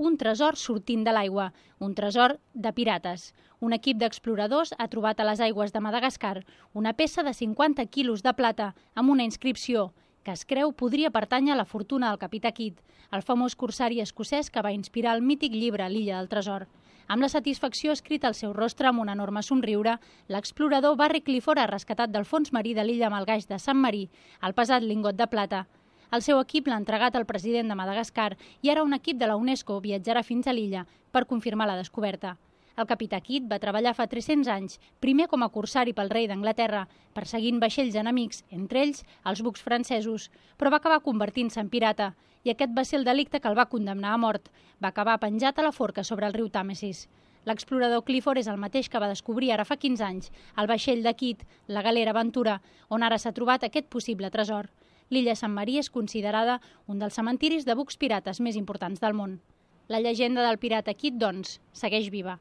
un tresor sortint de l'aigua, un tresor de pirates. Un equip d'exploradors ha trobat a les aigües de Madagascar una peça de 50 quilos de plata amb una inscripció que es creu podria pertànyer a la fortuna del capità Kidd, el famós corsari escocès que va inspirar el mític llibre L'illa del tresor. Amb la satisfacció escrita al seu rostre amb un enorme somriure, l'explorador Barry Clifford ha rescatat del fons marí de l'illa malgaix de Sant Marí el pesat lingot de plata. El seu equip l'ha entregat al president de Madagascar i ara un equip de la UNESCO viatjarà fins a l'illa per confirmar la descoberta. El capità Kidd va treballar fa 300 anys, primer com a corsari pel rei d'Anglaterra, perseguint vaixells enemics, entre ells els bucs francesos, però va acabar convertint-se en pirata, i aquest va ser el delicte que el va condemnar a mort. Va acabar penjat a la forca sobre el riu Tàmesis. L'explorador Clifford és el mateix que va descobrir ara fa 15 anys el vaixell de Kidd, la galera Ventura, on ara s'ha trobat aquest possible tresor. L'illa Sant Marí és considerada un dels cementiris de bucs pirates més importants del món. La llegenda del pirata Kidd, doncs, segueix viva.